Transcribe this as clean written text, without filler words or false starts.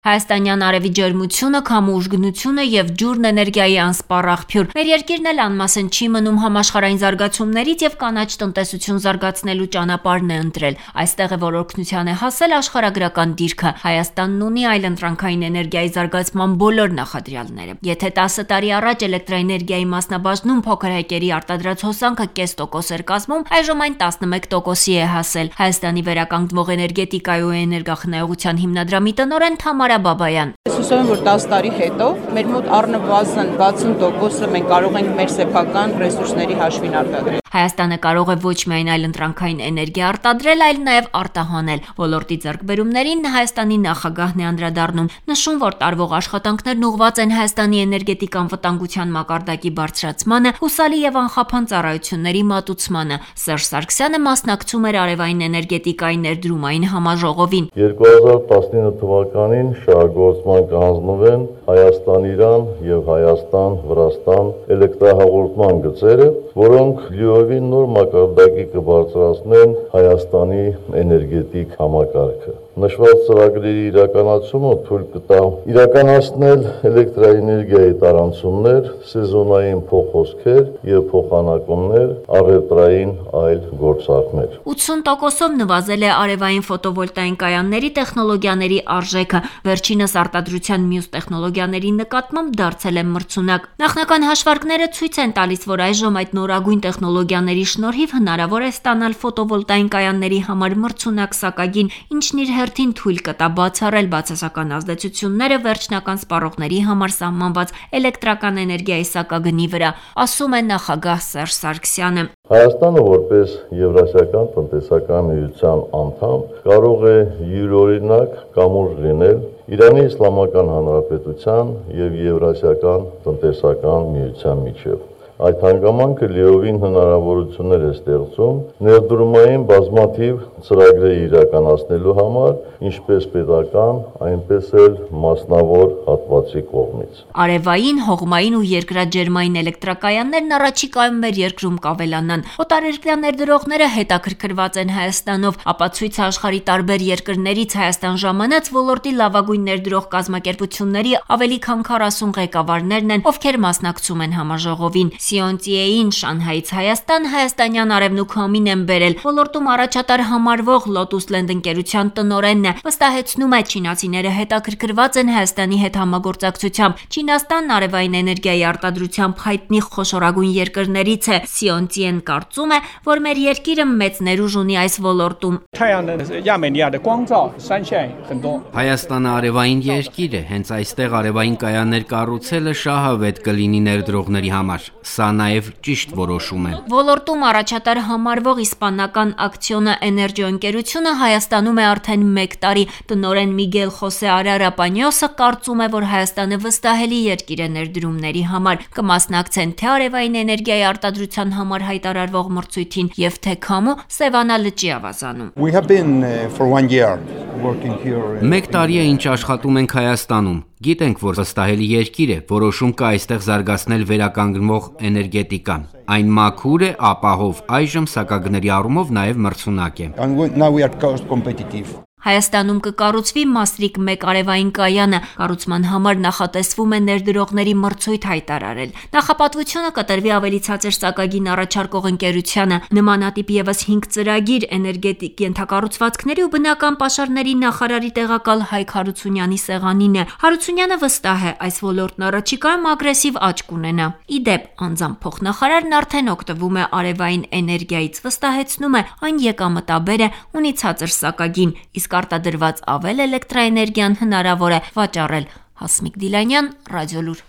Հայաստանյան արևի ջերմությունը, քամու ուժգնությունը և ջուրն էներգիայի անսպառ աղբյուր։ Մեր երկիրն էլ անմասն չի մնում համաշխարհային զարգացումներից և կանաչ տնտեսություն զարգացնելու ճանապարհն է ընտրել։ Այստեղ է, որ օգնության է հասել աշխարհագրական դիրքը։ Հայաստանն ունի այլընտրանքային էներգիայի զարգացման բոլոր նախադրյալները։ Եթե 10 տարի առաջ էլեկտրաէներգիայի մասնաբաժնում փոքր հեկերի արտադրած հոսանքը կես տոկոս էր կազմում, այժմ այն 11%-ի է հասել։ Հայաստանի վերականգնվող էներգետիկայի ու էներգախնայողության հիմնադրամի տնօրեն Թամարա Բաբայան: Ես հուսով եմ, որ 10 տարի հետո մեր մոտ առնվազն 60%-ը մենք կարող ենք մեր սեփական ռեսուրսների հաշվին արտադրել։ Հայաստանը կարող է ոչ միայն այլընտրանքային էներգիա արտադրել, այլ նաև արտահանել։ Ոլորտի ձեռքբերումներին Հայաստանի նախագահն է անդրադառնում, նշում, որ տարվող աշխատանքներն ուղղված են Հայաստանի էներգետիկ անվտանգության մակարդակի բարձրացմանը, հուսալի և անխափան ծառայությունների մատուցմանը։ Սերժ Սարգսյանը մասնակցում էր արևային էներգետիկայի ներդրումային համաժողովին։ 2019 թվականին շահագործման կհանձնվեն Հայաստան-Իրան և Հայաստան-Վրաստան էլեկտրահաղորդման գծերը, որոնք լիովին նոր մակարդակի կբարձրացնեն Հայաստանի էներգետիկ համակարգը։ Նշված ծրագրերի իրականացումը թույլ կտա իրականացնել էլեկտրաէներգիայի տարանցումներ, սեզոնային փոխհոսքեր և փոխանակումներ, առևտրային այլ գործարքներ։ 80%-ով նվազել է արևային ֆոտովոլտային կայանների տեխնոլոգիաների արժեքը, վերջինս արտադրության մյուս տեխնոլոգիաների նկատմամբ դարձել է մրցունակ։ Նախնական հաշվարկները ցույց են տալիս, որ այժմ այդ նորագույն տեխնոլոգիաների շնորհիվ հնարավոր է ստանալ ֆոտովոլտային կայանների համար մրցունակ սակագին, ինչն իր հերթին թույլ կտա բացառել բացասական ազդեցությունները վերջնական սպառողների համար սահմանված էլեկտրական էներգիայի սակագնի վրա, ասում է նախագահ Սերժ Սարգսյանը։ Հայաստանը որպես Եվրասիական տնտեսական միության անդամ կարող է յուրօրինակ կամուրջ լինել Իրանի Իսլամական Հանրապետության և Եվրասիական տնտեսական միության միջև։ Այդ հանգամանքը լիովին հնարավորություններ է ստեղծում ներդրումային բազմաթիվ ծրագրեր իրականացնելու համար, ինչպես պետական, այնպես էլ մասնավոր հատվածի կողմից։ Արևային, հողմային ու երկրաջերմային էլեկտրակայաններն առաջիկայում մեր երկրում կավելանան։ Օտարերկրյա ներդրողները հետաքրքրված են Հայաստանով, ապացույցը աշխարհի տարբեր երկրներից Հայաստան ժամանած ոլորտի լավագույն ներդրող կազմակերպությունների ավելի քան 40 ղեկավարներն են, ովքեր մասնակցում են համաժողովին։ Սիոնտիեին Շանհայից Հայաստան հայաստանյան արևն ու քամին են բերել։ Ոլորտում առաջատար համարվող Lotus Land ընկերության տնօրենն է, վստահեցնում է, չինացիները հետաքրքրված են Հայաստանի հետ համագործակցությամբ։ Չինաստանն արևային էներգիայի արտադրությամբ հայտնի խոշորագույն երկրներից է։ Սիոնտիեն կարծում է, որ մեր երկիրը մեծ ներուժ ունի այս ոլորտում։ Հայաստանը արևային երկիր է, հենց այստեղ արևային կայաններ կառուցելը շահավետ կլինի ներդրողների համար։ Սա նաև ճիշտ որոշում է։ Ոլորտում առաջատար համարվող իսպանական Ակցիոնա Էներջիո ընկերությունը Հայաստանում է արդեն 1 տարի։ Տնօրեն Միգել Խոսե Արարա Պանյոսը կարծում է, որ Հայաստանը վստահելի երկիր է ներդրումների համար։ Կմասնակցեն թե արևային էներգիայի արտադրության համար հայտարարվող մրցույթին և թե քամու Սևանա լճի ավազանում։ 1 տարի է ինչ աշխատում ենք Հայաստանում։ Գիտենք, որ վստահելի երկիր է, որոշում կա այստեղ զարգացնել վերականգնվող էներգետիկան։ Այն մաքուր է, ապահով, այժմ սակագների առումով նաև մրցունակ է։ Հայաստանում կկառուցվի Մասրիկ 1 արևային կայանը, կառուցման համար նախատեսվում է ներդրողների մրցույթ հայտարարել։ Նախապատվությունը կտրվի ավելի ցածր սակագին առաջարկող ընկերությանը։ Նմանատիպ ևս 5 ծրագիր էներգետիկ ենթակառուցվածքների ու բնական պաշարների նախարարի տեղակալ Հայկ Հարությունյանի սեղանին է։ Հարությունյանը վստահ է, այս ոլորտն առաջիկայում ագրեսիվ աճ կունենա։ Ի դեպ, անձամբ փոխնախարարն արդեն օգտվում է արևային էներգիայից, վստահեցնում է, այն եկամտաբեր է, ունի ցածր սակագին, իսկ արտադրված ավել էլեկտրաէներգիան հնարավոր է վաճառել։ Հասմիկ Դիլանյան, Ռադիոլուր։